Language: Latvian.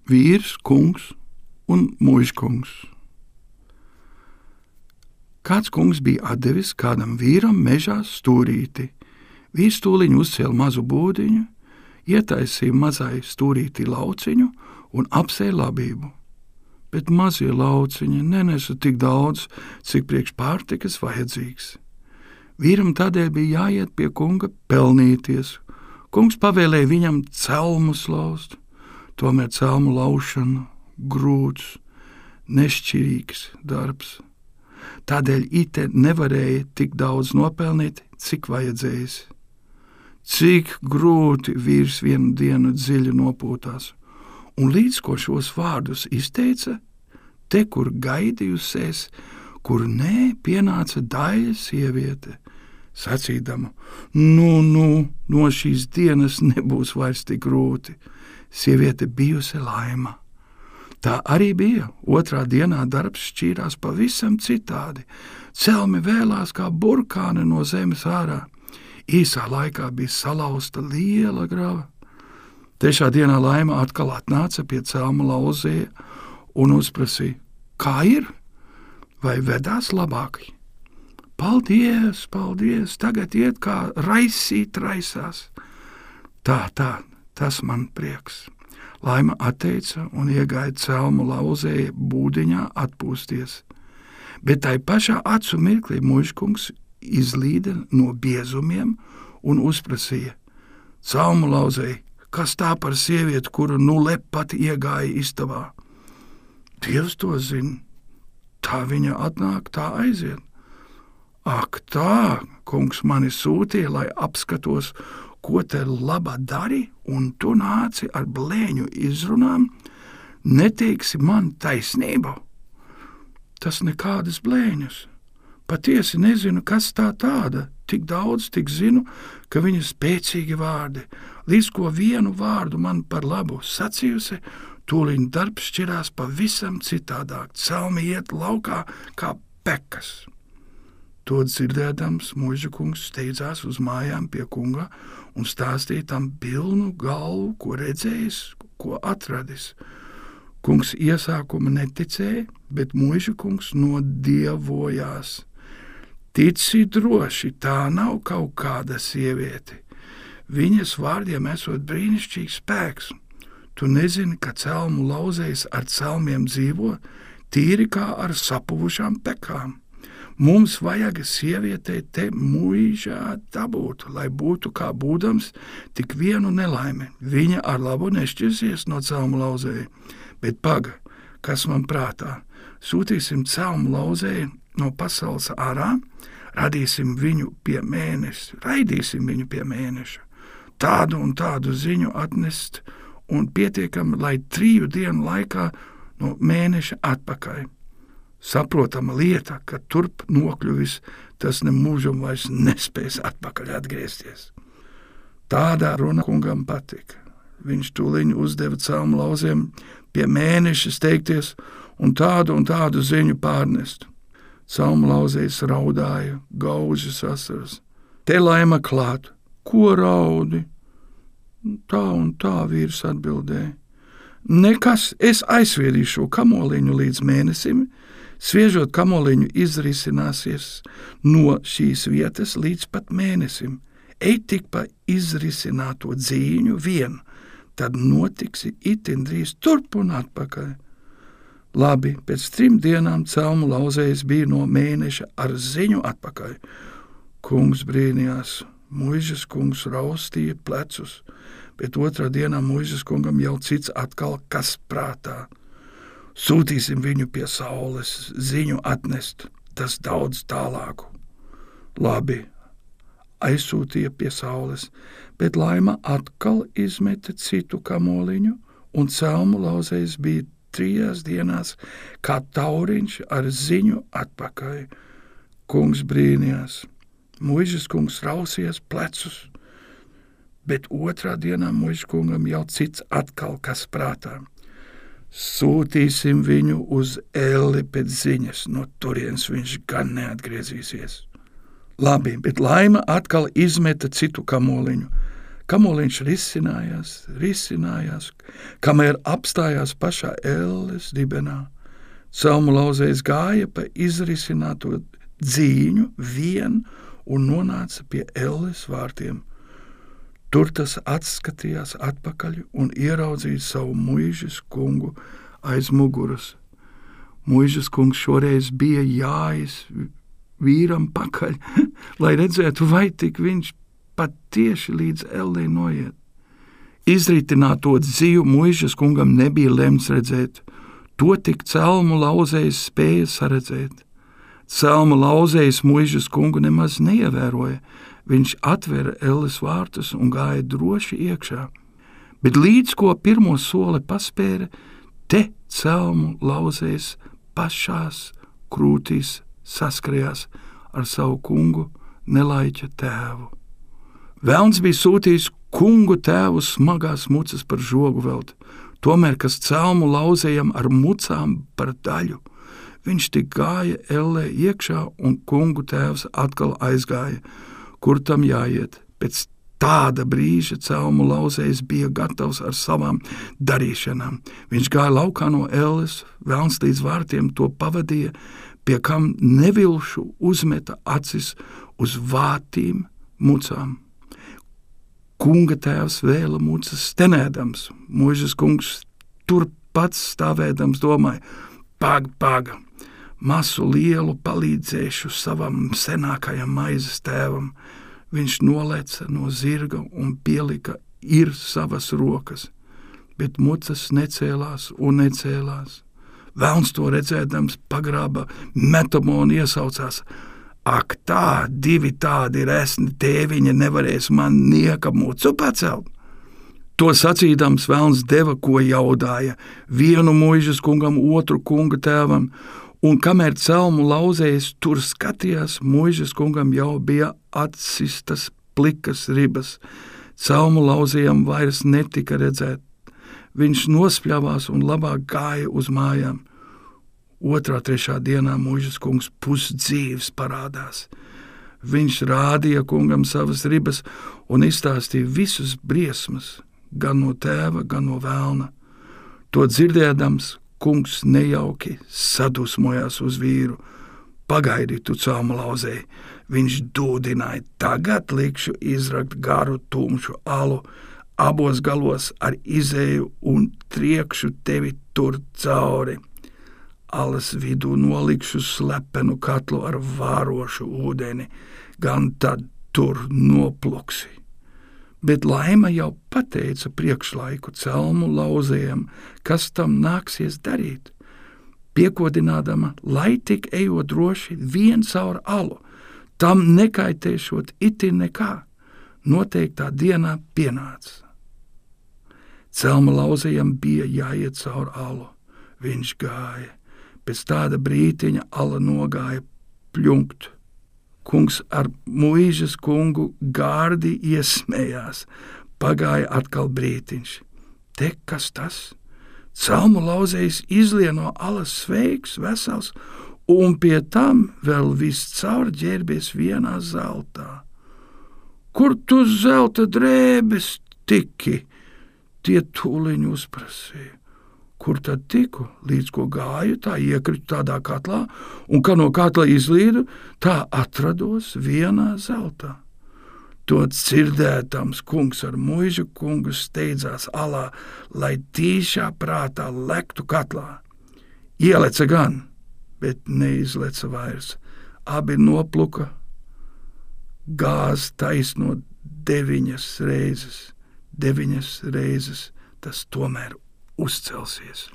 Vīrs, kungs un muižkungs. Kāds kungs bija atdevis kādam vīram mežā stūrīti. Vīrs tūliņ uzcēla mazu būdiņu, ietaisīja mazai stūrītī lauciņu un apsēja labību. Bet mazie lauciņi nenesa tik daudz, cik priekš pārtikas vajadzīgs. Vīram tādēļ bija jāiet pie kunga pelnīties. Kungs pavēlēja viņam celmus laust, tomēr celmu laušana grūts, nešķirīgs darbs. Tādēļ ite nevarēja tik daudz nopelnīt, cik vajadzējis. Cik grūti vīrs vienu dienu dziļi nopūtās, un līdz ko šos vārdus izteica, te, kur gaidījusies, kur nē, pienāca daļa sieviete, sacīdama, no šīs dienas nebūs vairs tik grūti. Sieviete bijusi Laima. Tā arī bija. Otrā dienā darbs šķīrās pavisam citādi. Celmi vēlās kā burkāni no zemes ārā. Īsā laikā bija salauzta liela grava. Trešā dienā Laima atkal atnāca pie celmu lauzēja un uzprasīja, kā ir? Vai vedās labāk? Paldies, paldies, tagad iet kā raisīt raisās. Tā, tas man prieks. Laima atteica un iegāja celmu lauzēja būdiņā atpūsties. Bet tai pašā acu mirklī muižkungs izlīda no biezumiem un uzprasīja, celmu lauzēja, kas tā par sievieti, kuru lepat iegāja istabā? Dievs to zina, tā viņa atnāk, tā aiziet. Ak tā, kungs mani sūtīja, lai apskatos, ko te laba dari, un tu nāci ar blēņu izrunām, neteiksi man taisnību. Tas nekādas blēņas. Patiesi nezinu, kas tā tāda, tik daudz, tik zinu, ka viņa spēcīgi vārdi, līdz ko vienu vārdu man par labu sacījusi, tūliņ darbs šķirās pavisam citādāk, celmi iet laukā kā pekas. To dzirdēdams, muižakungs steidzās uz mājām pie kunga un stāstīja tam pilnu galvu, ko redzējis, ko atradis. Kungs iesākuma neticēja, bet muižakungs nodievojās. Tici droši, tā nav kaut kāda sieviete. Viņas vārdiem esot brīnišķīgs spēks. Tu nezini, ka celmu lauzējs ar celmiem dzīvo, tīri kā ar sapuvušām pekām. Mums vajag sievietei te muižā dabūt, lai būtu kā būdams tik vienu nelaimi. Viņa ar labu nešķirsies no celmu lauzēja, bet paga, kas man prātā, sūtīsim celmu lauzēju no pasaules ārā, radīsim viņu pie mēneša, raidīsim viņu pie mēneša, tādu un tādu ziņu atnest un pietiekami, lai 3 dienu laikā no mēneša atpakaļ. Saprotama lieta, ka turp nokļuvis, tas nemūžam vairs nespēs atpakaļ atgriezties. Tādā runa kungam patika. Viņš tūliņ uzdeva celmu lauziem pie mēneša steigties un tādu ziņu pārnest. Celmu lauzējs raudāja, gaužas asaras. Te Laima klāt, ko raudi? Tā un tā vīrs atbildēja. Nekas, es aizsviedīšu kamoliņu līdz mēnesim, sviežot kamoliņu izrisināsies no šīs vietas līdz pat mēnesim. Ej tik pa izrisināto dzīņu vien, tad notiksi itin drīz turp un atpakaļ. Labi, pēc 3 dienām celmu lauzējs bija no mēneša ar ziņu atpakaļ. Kungs brīnījās, muižas kungs raustīja plecus, bet 2. dienā muižas kungam jau cits atkal kas prātā. Sūtīsim viņu pie saules, ziņu atnest, tas daudz tālāku. Labi, aizsūtīja pie saules, bet Laima atkal izmeta citu kamoliņu, un celmu lauzējs bija 3 dienās kā tauriņš ar ziņu atpakaļ. Kungs brīnījās, muižas kungs rausījās plecus, bet 2. dienā muižas kungam jau cits atkal kas prātā. Sūtīsim viņu uz Elli pēc ziņas, no turienes viņš gan neatgriezīsies. Labi, bet Laima atkal izmeta citu kamoliņu. Kamoliņš risinājās, kamēr apstājās pašā elles dibenā. Celmu lauzējs gāja pa izrisināto dzīņu vien un nonāca pie elles vārtiem. Tur tas atskatījās atpakaļ un ieraudzīja savu muižas kungu aiz muguras. Muižas kungs šoreiz bija jājis vīram pakaļ, lai redzētu, vai tik viņš pat tieši līdz ellei noiet. Izritināto dzīvu muižas kungam nebija lemts redzēt, to tik celmu lauzējs spēja saredzēt. Celmu lauzējs muižas kungu nemaz neievēroja, viņš atvera elles vārtus un gāja droši iekšā, bet līdz ko pirmo soli paspēra, te celmu lauzējs pašās krūtīs saskrējās ar savu kungu nelaiķa tēvu. Velns bija sūtījis kungu tēvu smagās mucas par žogu velt, tomēr, kas celmu lauzējam ar mucām par daļu. Viņš tik gāja ellē iekšā un kungu tēvs atkal aizgāja, kur tam jāiet. Pēc tāda brīža celmu lauzējs bija gatavs ar savām darīšanām. Viņš gāja laukā no elles, velns līdz vārtiem to pavadīja, pie kam nevilšu uzmeta acis uz vātīm mucām. Kunga tēvs vēla mucas stenēdams, muižas kungs turpat stāvēdams domāja, paga, masu lielu palīdzēšu savam senākajam maizes tēvam. Viņš noleca no zirga un pielika savas rokas, bet mucas necēlās un necēlās. Velns to redzēdams pagrāba metamo un iesaucās, ak tā, divi tādi resni tēviņi nevarēs man nieka mucu pacelt. To sacīdams velns deva, ko jaudāja, vienu muižas kungam, otru kunga tēvam, un kamēr celmu lauzējs tur skatījās, muižas kungam jau bija atsistas plikas ribas. Celmu lauzējam vairs netika redzēt. Viņš nospļavās un labāk gāja uz mājām. Otrā, trešā dienā muižas kungs pusdzīvs parādās. Viņš rādīja kungam savas ribas un izstāstīja visus briesmas, gan no tēva, gan no velna. To dzirdēdams, kungs nejauki sadusmojās uz vīru. Pagaidi, tu celmu lauzēji, viņš dūdināja, tagad likšu izrakt garu tumšu alu, abos galos ar izēju un triekšu tevi tur cauri. Alas vidū nolikšu slepenu katlu ar vārošu ūdeni, gan tad tur nopluksi. Bet Laima jau pateica priekšlaiku celmu lauzējam, kas tam nāksies darīt. Piekodinādama, lai tik ejot droši vien caur alu, tam nekaitēšot itin nekā, noteiktā dienā pienāca. Celmu lauzējam bija jāiet caur alu, viņš gāja. Pēc tāda brītiņa ala nogāja pļunkt. Kungs ar muižas kungu gārdi iesmējās. Pagāja atkal brītiņš. Te kas tas? Celmu lauzējs izlieno alas sveiks, vesels, un pie tam vēl viss caur ģērbies vienā zeltā. Kur tu zelta drēbes tiki? Tie tūliņ uzprasīja. Kur tad tiku? Līdz ko gāju, tā iekritu tādā katlā, un kā no katla izlīdu, tā atrados vienā zeltā. To dzirdētams kungs ar muižu kungu steidzās alā, lai tīšā prātā lektu katlā. Ieleca gan, bet neizleca vairs. Abi nopluka, gāz taisno 9 reizes. 9 reizes tas tomēr uzcelsies.